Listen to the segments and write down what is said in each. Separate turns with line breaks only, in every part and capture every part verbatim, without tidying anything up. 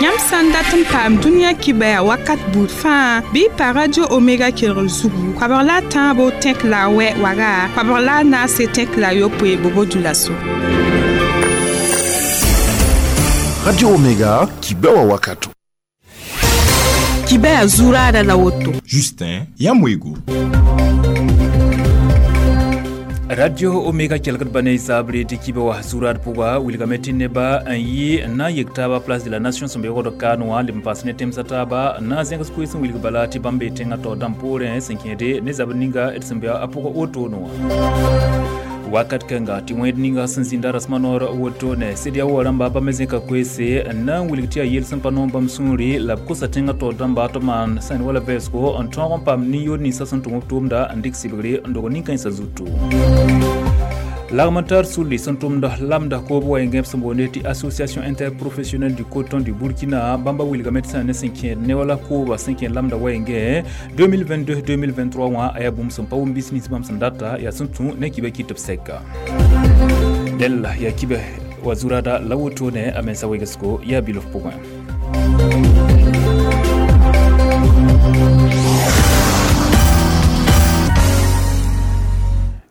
Yãmb sã n dat n paam dũniyã kibaya wakat buud fãa bɩ y pa Radio Omega kelgr zugu koabg la a tãabo tẽk la a wɛ waga koabg la a naase tẽk la a yopoe bobo dulaso.
Radio Omega kibewa wakato.
Kibaya zurada la woto.
Justin Yamwego.
Radio Omega kelgd ba ne sabre tɩ kibe wa zurad pʋga wilgame tɩ neba n yɩ n na n yek taaba Place de la Nation sẽn be wogd kaan wã leb n paas ne tẽmsã taaba n na n zẽgs koees n wilg bala tɩ bãmb bee tẽngã taoor dãmb poorẽ sẽn kẽede ne zabr ninga d sẽn be a pʋgã wotone wã. Wakat kãnga tɩ wẽed ninga sẽn zĩnda rasmã noor wotone CEDEAO rãmba bãmb me zẽka koeese n na n wilg tɩ yaa yel sẽn pa noom bãmb sũuri la b kosa tẽngã taoor dãmba tɩ b maan sẽn wala vɛɛsgo n tõog n paam nin-yood ninsã sẽn tʋm b tʋʋmda n dɩk sɩbgre n dog nin-kãensã zutu. Lagm n tar sulli sẽn tʋmd lamda koob wa yẽngẽb sẽn boonde tɩ Association interprofessionnelle du coton du Burkina bãmba wilgame tɩ sã ne sẽn kẽed ne wala kooba sẽn kẽed lamda wa yẽngẽ deux mille vingt-deux deux mille vingt-trois wã a yaa bũmb sẽn pa wʋm bis nins bãmb sẽn data yaa sẽn tũ ne kibã kɩt b sɛka. Dẽla yaa kibã wa zurada la wotone a mensa wegsgo yaa bilf pʋgẽ.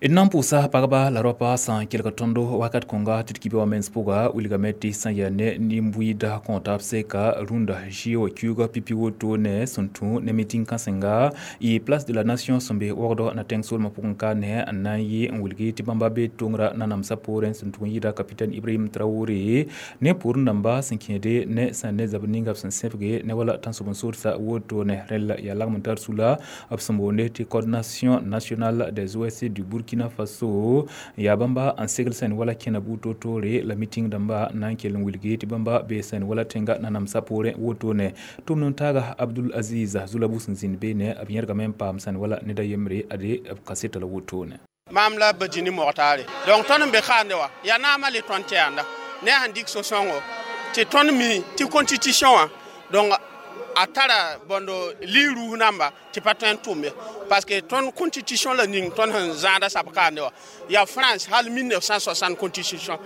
D na n pʋʋsa pagba la raopa sã n kelg tõndo wakat kõnga tɩ d kibe wã mens pʋga wilgame tɩ sã n yaa ne nin-buiida kõ taab sɛka rũndã zɩ wa kiuuga pipi wotone sẽn tũ ne miting kãsenga y Place de la Nation sẽn be wogdɔ na tẽng soolmã pʋgẽ ka ne n na n yɩ n wilgi tɩ bãmba be tongrã nanamsã poorẽ sẽn tʋg n yɩɩda capitaine Ibrahim Traoré ne pʋʋr dãmba sẽn kẽede ne sã ne zabr ninga b sẽn sẽbge ne wala tãnsoab-n-soodsa wotone rẽla yaa lagm n tar sula b sẽn boonde tɩ Coordination nationale des O S C du Burkina Faso yaa bãmba n segl sẽn wala kẽna buud toor-toore la miting dãmba na n kell n wilgi tɩ bãmba bee sẽn wala tẽnga nanamsã poorẽ wotone tʋmd n taaga Abdul Aziz Zulabu sẽn zĩnd beene b yẽrgame n paam sẽn wala ned a yembre ade b kaseta la wotone.
Maam la Badjini Mogtaare donc tõnd n be kaande wã yaa naamã le tõnd tɛɛnda ne a sẽn dɩk so-sõngo tɩ tõnd mi tɩ constitution wã donc a tara bõndo li-rus namba tɩ pa tõe n tʋm ye parce que tõnd constitution la ning tõnd sẽn zãada sab kaande wã yaa France hal mille neuf cent soixante constitution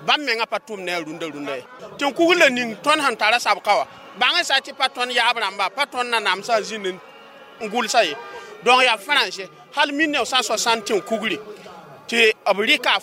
bãmb mengã pa tʋm ne a rũndã rũndã ye tɩ n kugr la ning tõnd sẽn tara sabka wã bãng sã tɩ pa tõnd yaab rãmba pa tõnd nanamsã zĩnd n gʋlsa ye donc yaa France hal mille neuf cent soixante tɩ n kugri tɩ b rɩka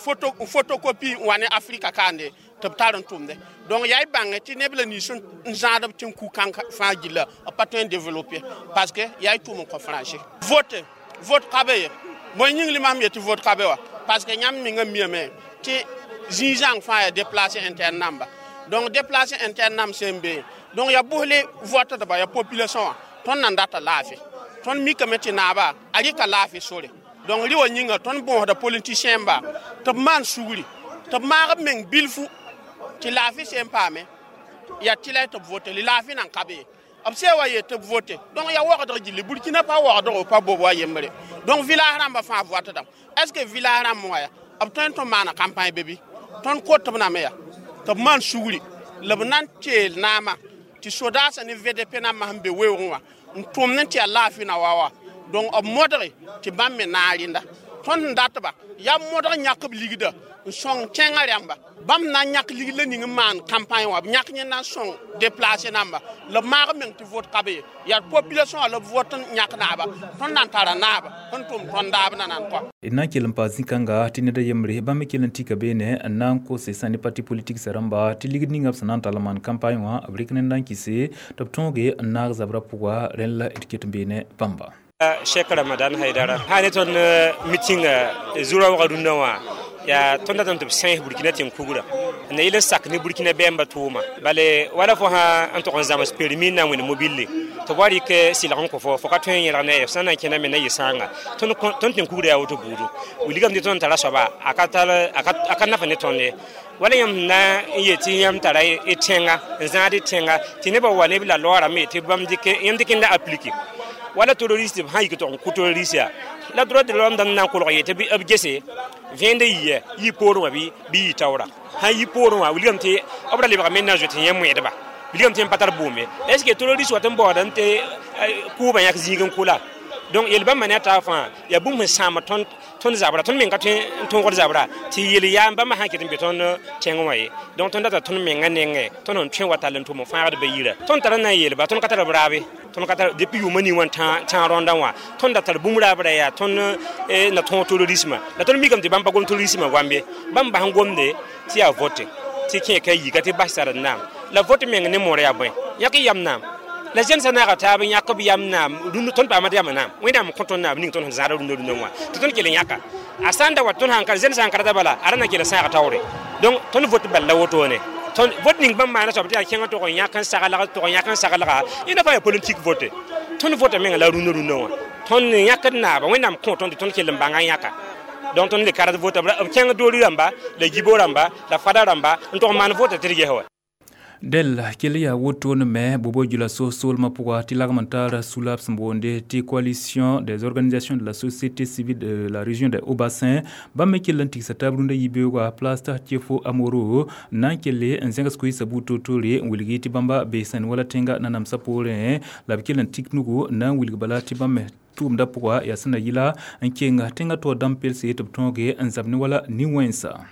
photocopie n wa ne Afrika kaande tɩ b tar n tʋmde donc yaa y bãnge tɩ neb la nins n zãad b tɩ n ku kãng fãa gilla b pa tõe n développer parce que yaa y tʋm n kõ français vote vote ka be ye bõe yĩng li mam yetɩ vote ka be wa parce que yãmb mengã miame tɩ zĩig-zãng fãa yaa déplacé interne namba donc déplacé interne nam sẽn be donc yaa bʋsle votdba yaa population wã tõnd nan data laafɩ tõnd mikame tɩ naaba a rɩka laafɩ sore donc rɩ wa yĩnga tõnd bõosda politicien ba tɩ b maan sugri tɩ b maag b meng bilfu tɩ laafɩ sẽn paame yaa tɩ la tɩ b vote li laafɩ nan ka be ye b sẽn wa yet tɩ b vote donc yaa wagdg gilli Burkina pa wagdgo pa bob wa yembre donc village rãmbã fãa votdame est ce que village rãmb wã ya b tõe n tɩ maana campagne be bɩ tõnd kot b name ya tɩ b maan sugri la b na n teel naamã tɩ sodaasã ne V D P nambã sẽn be weoogẽ wã n tʋmd n tɩ yaa laafɩ na wa wa donc b modge tɩ bãmb me naag rẽnda tõnd sẽn datba yaa modg yãk b ligda n sõng kẽngã rãmba bãmb na n yãk ligd la ning n maan campagne wã b yãk yẽnd na n sõng déplacé namba la b maag meng tɩ vote ka be ye yaa population wã la b vot n yãk naaba tõnd na n tara naaba sẽn tʋm tõnd daab na nan kɔ.
D na n kell n paas zĩ-kãnga tɩ ned a yembre bãmb me kell n tika beene n na n kose sã ne parti politique sã rãmba tɩ ligd ninga b sẽn na n tall n maan campagne wã b rɩk ned n kɩse tɩ b tõoge n naag zabrã pʋga rẽnd la d ket n beene bãmba.
Cheikh Ramadan Haidara ha ne tõnd meeting zura wagã rũndã wã yaa tõnd datame tɩ b sẽes Burkina tẽng kugrã n yel n sak ne Burkina bɛɛmbã tʋʋma bale wala fo sã n tog n zãms permis n na n wẽnd mobile tɩ b wa rɩk sɩlg n kõ fo fo ka tõe n yẽlg ne ye f sã n na n kẽna me na yɩ sãanga tõnd tẽng kugrã yaa woto buudu wilgame tɩ tõnd tara soaba a ka naf ne tõnd ye wala yãmb na n yet tɩ yãmb tara y tẽnga n zãad y tẽnga tɩ nebã wa neb la loorame tɩ bãmb yãmb dɩk n la aplike wala terroriste sã yik tɩ n kʋ terroriste ya la droit de l'homme dãmb na n kolg yetɩ b gese vẽende yɩ yɩ poorẽ wã bɩ yɩ taoora sã yɩ poorẽ wã wilgame tɩ b ra lebgame n na n zoet yẽ moẽdba wilgame tɩ yẽ pa tar bʋʋme est ce que terroriste wat n baood n tɩ kʋʋbã yãk zĩig n kʋla donc yel bãmba ne a taab fãa yaa bũmb sẽn sãam tõnd tõnd zabra tõnd meng ka tõe n tõogd zabra tɩ yel yaa bãmba sã n ket n be tõnd tẽng wã ye donc tõnd data tõnd menga nengẽ tõnd sẽn tõe wa tall n tʋm n fãagd ba yira tõnd tara na n yeelba tõnd ka tar b raabe tõnd ka tar depuis yʋʋmã ning wã tã rõndã wã tõnd da tar bũmb raabra yaa tõnd na tõog terrorisme la tõnd mikame tɩ bãmb pa gom terrorisme goam ye bãmb bas n gomde tɩ yaa vote tɩ kẽ ka yika tɩ bas sar n naam la vote meng ne moor yaa bõe yãk y yam naam la zẽn sã naaga taab n yãk b yam naam rũndã tõnd paama tɩ yam naam wẽnnaam kõ tõnd naam ning tõnd sẽn zãada rũndã rũndã wã tɩ tõnd kell n yãka a sã n da wa tõnd sãn ka zẽn sã n ka rata bala a ra na kell n sãag taoore donc tõnd vote bal la wotone tõnd vote ning bãmb maana soab tɩ yaa kẽngã tog n yãk n saglg tog n yãk n saglga yẽnda fãa yaa politique vote tõnd vota menga la rũndã rũndã wã tõnd yãkd naaba wẽnnaam kõ tõnd tɩ tõnd kell n bãnga yãka donc tõnd le kard vota b kẽng doori rãmba la gibo rãmba la fada rãmba n tog n maan vota tɩ d ges wa
del kell yaa wotone me bobo jula so solmã pʋga tɩ lagm n taara sulab sẽn boonde tɩ coalition des organisations de la société civile de la région de Haut-Bassin bãmb me kell n tigsa taab rũndã yibeoogã place Tchefo Amoro n na n kelle n zẽgs koeesã buud toor-toore n wilgi tɩ bãmba bee sẽn wala tẽnga nanamsã poorẽ la b kell n tik nugu n na n wilg bala tɩ bãmb me tʋʋmdã pʋga yaa sẽn na yɩla n keng tẽngã taoor dãmb pelse tɩ b tõoge n zab ne wala nin-wẽnsa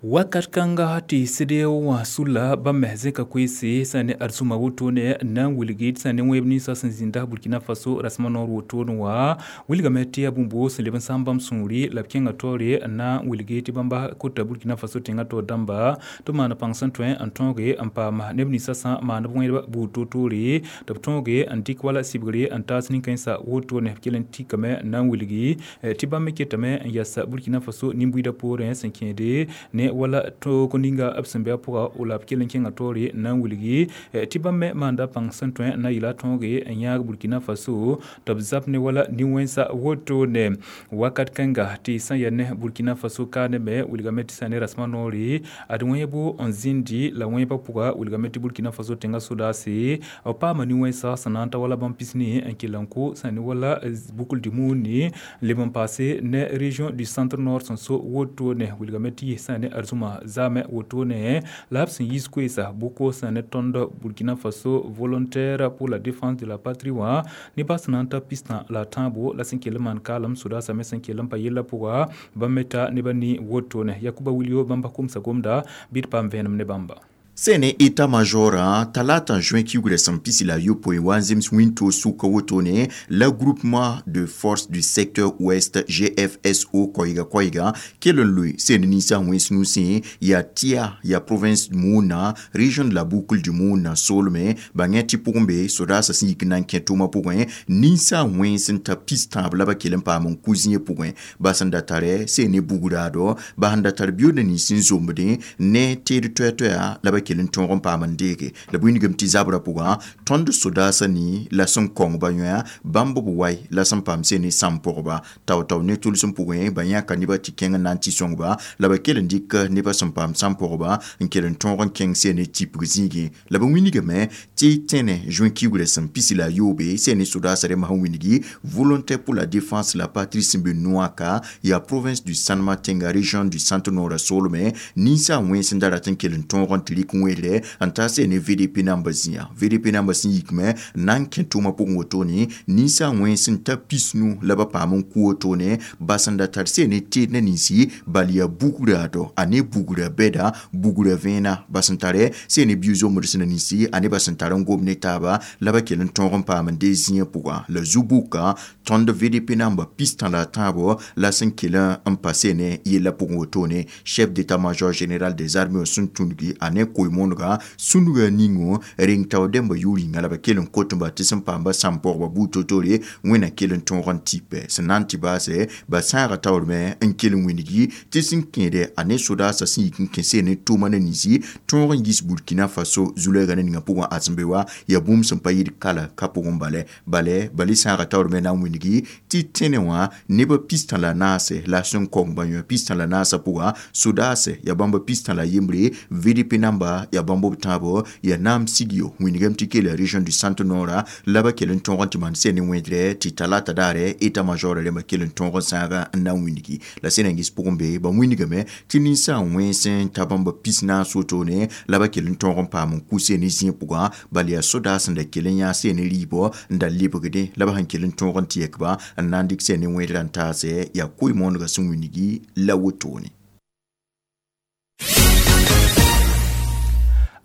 wakat kãnga tɩ CEDEAO wã sulla bãmb me zẽka koeese sã ne arzũma wotone n na n wilgi tɩ sã ne wẽeb ninsã sẽn zĩnda Burkina Faso rasmã noor wotone wã wilgame tɩ yaa bũmb sẽn leb n sãam bãmb sũuri la b kẽnga taoore n na n wilgi tɩ bãmba kota Burkina Faso tẽngã taoor dãmba tɩ b maan pãng sẽn tõe n tõoge n paam neb ninsã sã maan b wẽedba buud toor-toore tɩ b tõoge n dɩk wala sibgre n taas nin-kãensã wotone b kell n tikame n na n wilgi tɩ bãmb me ketame n yas Burkina Faso nin-buiidã poorẽ sẽn kẽede ne wala toog ninga b sẽn be a pʋga la b kell n kẽnga taoore n na n wilgi tɩ bãmb me maanda pãng sẽn tõe n na yɩla tõoge n yãag Burkina Faso tɩ b zab ne wala nin-wẽnsa wotone wakat kãnga tɩ sã n yaa ne Burkina Faso kaane me wilgame tɩ sã ne rasmã noore ad wẽebo n zĩndi la wẽebã pʋga wilgame tɩ Burkina Faso tẽngã sodaase b paama nin-wẽnsa sẽn na n ta wala bãmb pisni n kell n kʋ sã ne wala bukl dĩmuuni leb n paase ne région du centre nord sẽn so wotone wilgame tɩ sã ne arzũma zaame wotone la b sẽn yiis koeesa bʋko sã ne tõnd Burkina Faso volontaire pour la défense de la patrie wã nebã sẽn na n ta pistã la tãabo la sẽn kell n maan kaalem sodaasã me sẽn kell n pa yellã pʋga bãmb me ta nebã ne wotone Yakuba Wilio bãmba komsa gomda bɩ d paam vẽenem ne bãmba
sene état-major talata juin kiugrɛ sẽn pisi la yopoe wa n zems wĩntoog sʋka wotone la groupement de force du secteur ouest G F S O koɛɛga koɛɛga kell n loe sene ninsã wẽns nusẽ yaa tɩa yaa province Muna, région de la Boucle du Muna soolme bãngẽ tɩ pʋgẽ be sodaasã sẽn yik n na n kẽ tʋʋmã pʋgẽ ninsã wẽns n ta pis tãab la ba kell n paam n ku zĩig pʋgẽ ba sẽn da tare sene bugraado ba sẽn da tar biooda nins n zombdẽ ne teed toɛ-toɛa la ba kell n tõog n paam n deege la b wĩndgame tɩ zabrã pʋgã tõnd sodaasã ni la sẽn kõng ba yõa bãmb b wai la sẽn paam sene sãm pʋgba tao-tao ne tʋlsem pʋgẽ ba yãka nebã tɩ kẽng n na n tɩ sõngba la ba kell n dɩk nebã sẽn paam sãm pʋgba n kell n tõog n kẽng sene tipg zĩigẽ la b wĩndgame tɩ tẽne juin kiugrã sẽn pisi la yoobe sene sodaasã rẽmb sẽn wĩndgi volontaire pour la défense la patrie sẽn be Nouaka yaa province du Sanma tẽnga région du centre nord soolme ninsã wẽns n da rat n kell n tõog n tɩ rɩk wẽedre n ta sene V D P namba zĩa V D P namba sẽn yikme n na n kẽ tʋʋmã pʋgẽ wotone ninsã wẽns n ta pisnu la ba paam n ku wotone ba sẽn da tar sene teed ne ninsi bal yaa bugraado a ne bugra bɛda bugra vẽena ba sẽn tare sene biu-zombd sẽn na ninsi a ne ba sẽn tar n gom ne taaba la ba kell n tõog n paam n dee zĩigã pʋgã la zu-buka tõnd V D P namba pistã la tãabo la sẽn kell n pa sene yella pʋgẽ wotone chef d'état-major général des armées sẽn tũngi a ne koe-moonega sũnugã ningo reng tao dẽmba yʋʋr yĩnga la ba kell n kot-ba tɩ sẽn paamba sãm pʋgba buud to-tore wẽna kell n tõog n tɩpɛ sẽn na n tɩ baase ba sãaga taoorme n kell n wĩndgi tɩ sẽn kẽede a ne sodaasã sẽn yik n kẽ sene tʋʋma ne ninsi tõog n yis Burkina Faso zu-lɛɛga ne ninga pʋgẽ ãdsembe wa yaa bũmb sẽn pa yɩd kala ka pʋgẽ bale bale bale sãaga taoorme na n wĩndgi tɩ tẽne wã nebã pistã la naase la sẽn kong ba yõ pistã la naasã pʋga sodaase yaa bãmba pistã la yembre V D P namba yãmba yaa bãmb b tãabo yaa naam sigyo wĩnigame tɩ keela région du centre nord la ba kell n tõog n tɩ maan sẽn ne wẽdrɛ tɩ talata daare état major rẽmbã kell n tõog n sãaga n na n wĩnigi la sẽn na n ges pʋgẽ be ba wĩnigame tɩ ninsã wẽns n ta bãmb pis naas wotone la ba kell n tõog n paam n kuse ne zĩig pʋgã bal yaa sodaas sẽn da kell n yã sẽn ne rɩɩbɔ n da lebgdẽ la ba sẽn kell n tõog n tɩ yɛkba n na n dɩk sẽn ne wẽdrã n taase yaa koe-moonegã sẽn wĩnigi la wotone.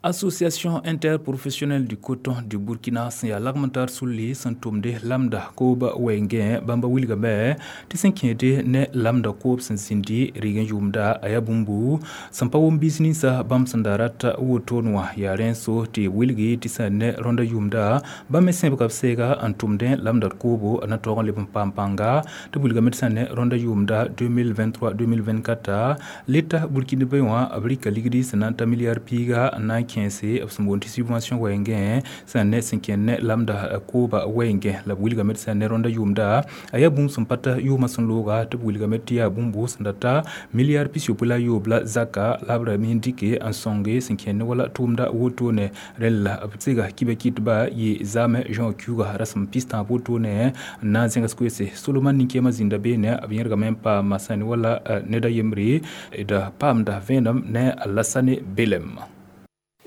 Association interprofessionnelle du coton du Burkina sẽn yaa lagm n tar sulli sẽn tʋmde lamda koob wɛɛngẽ bãmba wilgame tɩ sẽn kẽede ne lamda koob sẽn zĩndi rɩg n yʋʋmda a yaa bũmbu sẽn pa wʋm biis ninsã bãmb sẽn da rat wotone wã yaa rẽnso tɩ b wilgi tɩ sẽn ne rõnda yʋʋmda bãmb me sẽbga b seega n tʋmdẽ lamda koobo a na taoog n leb n paam pãnga tɩ b wilgame tɩ sẽn ne rõnda yʋʋmda deux mille vingt-trois deux mille vingt-quatre leta burkinabé wã b rɩka ligdi sẽn na n ta milliard piiga n na n kẽese b sẽn boond tɩ subvention wɛɛngẽ sẽn ne sẽn kẽnd ne lamda kooba wɛɛngẽ la b wilgame tɩ sẽn ne rõnda yʋʋmda a yaa bũmb sẽn pa ta yʋʋmã sẽn looga tɩ b wilgame tɩ yaa bũmbu sẽn da ta milliard pis-yopoe la a yoob la zaka la b ra me n dɩke n sõnge sẽn kẽnd ne wala tʋʋmda wotone rẽnd la b sega kiba kɩtba yɩ zaame Jean Kiuga rasem pis-tãab wotone n na n zẽgs koeese Solomon nin-kẽemã zĩnda beene b yẽrgame n paama sẽn ne wala ned a yembre d paamda vẽenem ne Alassane Belem.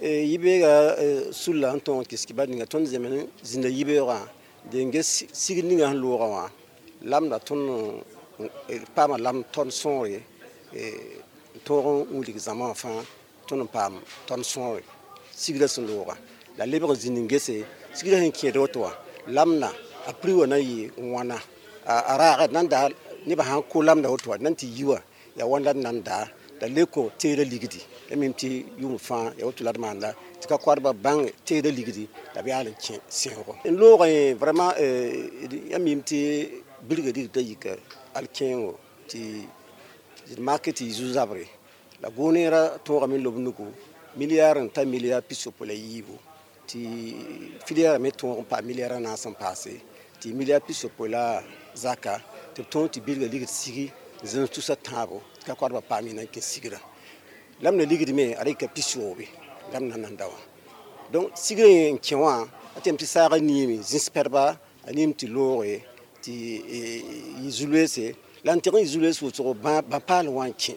Yibeega sulla n tõog kɩs kibar ninga tõnd zemen zĩnda yibeoogã dee n ges sigd ninga sẽn loogã wã lamda tõnd paama lam tõnd sõore n tõog n wilg zãma wã fãa tõnd n paam tõnd sõore sigrã sẽn loogã la lebg n zĩnd n gese sigrã sẽn kẽed woto wã lamda a prix wã na n yɩ wãna a raaga d nan daa nebã sãn ko lamda woto wã d nan tɩ yi wã yaa wãn la d nan daa la le kõ teeda ligdi ya mim tɩ yʋʋm fãa ya woto la d maanda tɩ ka koadbã bãng teeda ligdi la b yaal n kẽ sẽogo n loogã yẽ vraiment ya mim tɩ bilga ligdã yika al-kẽengo tɩ d mak tɩ yɩ zu-zabre la goneerã tõogame n lob nugu milliard n ta milliard pis-yopoe la yiibu tɩ filière me tõog n paam milliard a naas n paase tɩ milliard pis-yopoe la zaka tɩ b tõog tɩ bilga ligd sigi zẽms tusa tãabo ka koadbã paam yẽ na n kẽ sigrã lamda ligd me a rɩka pis-yoobe lamda nan da wã donc sigrã yẽ n kẽ wã a tɩ tɩ saagã niime zĩs pɛdba a niim tɩ looge tɩ yɩ zu-loeese la n tɩg n yɩ zu-loees wʋsgo bã-paal wã n kẽ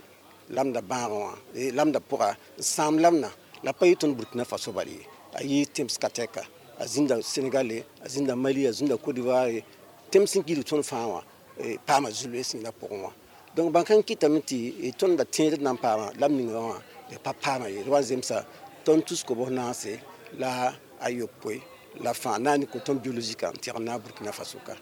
lamda bãagã wã lamda pʋga n sãam lamda la pa yɩ tõnd Burkina Faso bal ye a yɩ tẽms ka tɛka a zĩnda Sénégal a zĩnda Mali a zĩnda Côte d'Ivoire tẽms sẽn gilg tõnd fãa wã paama zu-loees yẽla pʋgẽ wã donc bãn kãng kɩtame tɩ tõnd da tẽed d na n paama lam ninga wã d pa paama ye d wa n zemsa tõnd tus kobs naase la a yopoe la fãa na n ne coton biologique n tɩg n naag Burkina Faso ka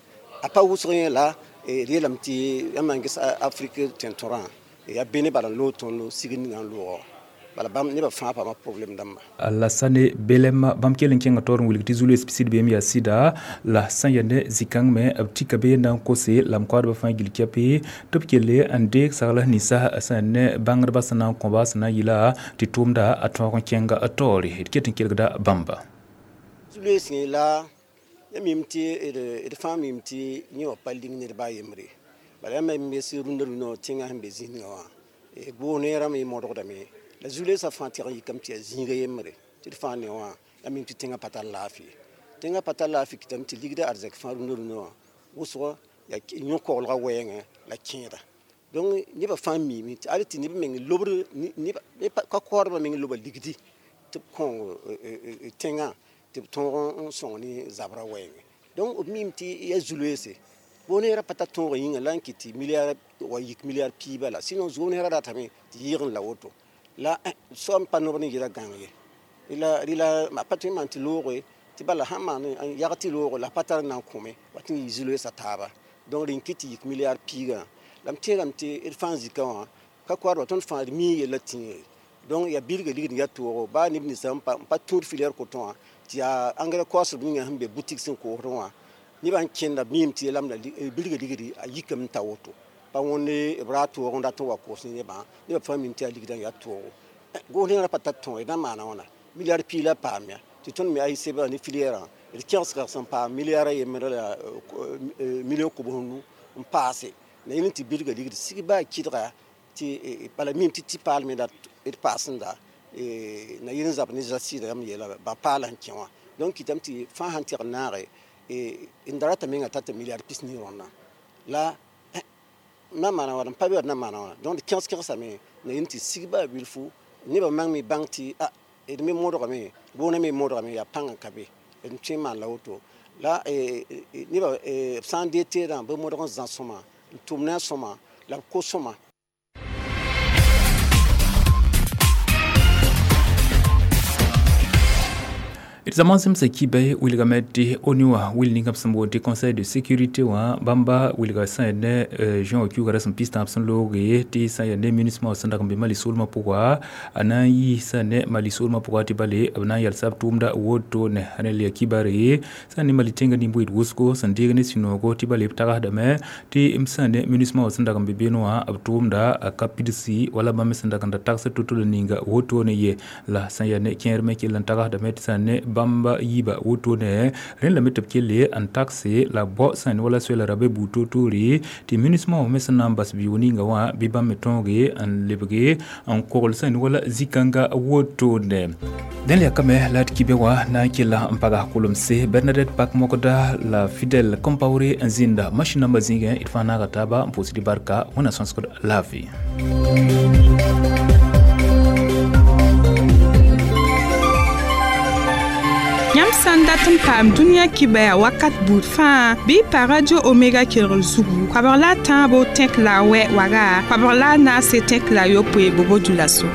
a pa wʋsg yẽ la d yeelame tɩ yãmb na n ges Afrique tẽn-tõrã yaa bene bala n loog tõnd sigd ninga n loogã bala bãmb nebã fãa paama problème dãmba.
Alassane Belem bãmb kell n kẽnga taoor n wilg tɩ zu-loees pisid beem yaa sɩda la sẽn yaa ne zĩ-kãng me b tika bee na n kose la m koadbã fãa gill kɛpe tɩ b kelle n deeg sagl ninsã sẽn ne bãngdbã sẽn na n kõba sẽn na n yɩla tɩ tʋʋmda a tõog n kẽnga taoore d ket n kelgda bãmba.
Zu-loees yẽ la ya mim tɩ d fãa mim tɩ yẽ wã pa ling ned baa yembre bala yãmb me bes rũndã rũndã tẽngã sẽn be zĩsngã wã goog-neerã me modgdame la zu-loeesã fãa tɩg n yikame tɩ yaa zĩiga yembre tɩ d fãa ne wã ya mim tɩ tẽngã pa tar laafɩ tẽngã pa tar laafɩ kɩtame tɩ ligda arzɛk fãa rũndã rũndã wã wʋsg yaa yõ-koglgã wɛɛngẽ la kẽeda donc nebã fãa miime tɩ al tɩ neb meng lobr ka koadbã meng loba ligdi tɩ b kõong tẽngã tɩ b tõog n sõng ne zabrã wɛɛngẽ donc b miime tɩ yaa zu-loeese goog-neerã pa tar tõogã yĩnga la n kɩt tɩ milliard wa yik milliard piig bala sinon goog-neerã ratame tɩ yɩɩg n la woto la soab n pa nob ne yɛla gãng ye rɩla rɩla pa tõe n maan tɩ looge tɩ bala sãn maan n yag tɩ loogo la pa tar n na n kõme wa tɩ n yɩ zu-loeesã taaba donc rẽn kɩt tɩ yik milliard piigã la m tẽegame tɩ d fãa zikã wã ka koadbã tõnd fãa d mii yella tĩigre donc yaa bilga ligd n yaa toogo baa neb ninsã n pa tũud filière coton wã tɩ yaa engrais koasb ninga sẽn be boutique sẽn koosd wã nebã n kẽnda b miime tɩ lamda bilga ligdi a yikame n ta woto pa wõnde b ra toog n dat n wa koos ne nebã nebã fãa mim tɩ yaa ligdã n yaa toogo goos-neerã pa tar tõog d na n maana wãna milliard piig la paam ya tɩ tõnd me a sebã ne filière d kẽgsga sẽn paam milliard a yembrã la million kobs nu n paase la yẽl n tɩ bilga ligd sig baa kɩdga tɩ bala mim tɩ tɩ paalme la d paasẽnda na yɩl n zab ne zasɩɩda yãmb yeela ba paala sẽn kẽ wã donc kɩtame tɩ fãa sãn tɩg n naage n da rata menga tata milliard pis nii rõnna la na maana wala n pa be na maana wã donc d kẽgs kẽgsame na yɩl tɩ sig baa bilfu nebã mang me bãng tɩ a d me modgame boonã me modgame yaa pãng n ka be d tõe n maan la woto la nebã b sã n dee teedã bɩ modg n zã sõma n tʋm ne a sõma la b kos sõma.
D zãma zẽmsa kiba wilgame tɩ ONU wã wil ninga b sẽn boond tɩ conseil de sécurité wã bãmba wilga sã yaa ne juin wã kiuuga rasem pis tãab sẽn looge tɩ sã n yaa ne MINUSMA wã sẽn dag n be Mali soolmã pʋga a na n yi sã ne Mali soolmã pʋga tɩ bale b na n yalsa b tʋʋmda wotone rẽ la kibare sã n ne Mali tẽngã nin-bʋɩd wʋsgo sẽn deeg ne sũ-noogo tɩ bale b tagsdame tɩ m sã ne MINUSMA wã sẽn dag n be beene wã b tʋʋmda a ka pidsi wala bãmb me sẽn dag n da tagsd to-to la ninga wotone ye la sã n yaa ne kẽer me kell n tagsdame tɩ sã n ne bãmba yiiba wotone rẽnd lame tɩ b kelle n takse la bao sã n wala soɛla la rabe buud toor-toore tɩ MINUSMA wã me sẽn na n bas biʋʋg ninga wã bɩ bãmb me tõoge n lebge n kogl sã n wala zĩ-kãnga wotone dẽn la yakame la d kibe wã na n kella n paga kolemse Bernadette Pak Mokda la Fidèle Compaoré n zĩnda machine nambã zĩigẽ d fãa naaga taaba n pʋʋsd barka wẽnna sõsgd laafɩ.
Yãmb sã n dat n paam dũniyã kibaya wakat buud fãa bɩ y pa Radio Omega kelgr zugu koabg la a tãabo tẽk la a wɛ waga koabg la a naase tẽk la a yopoe bobo dulaso.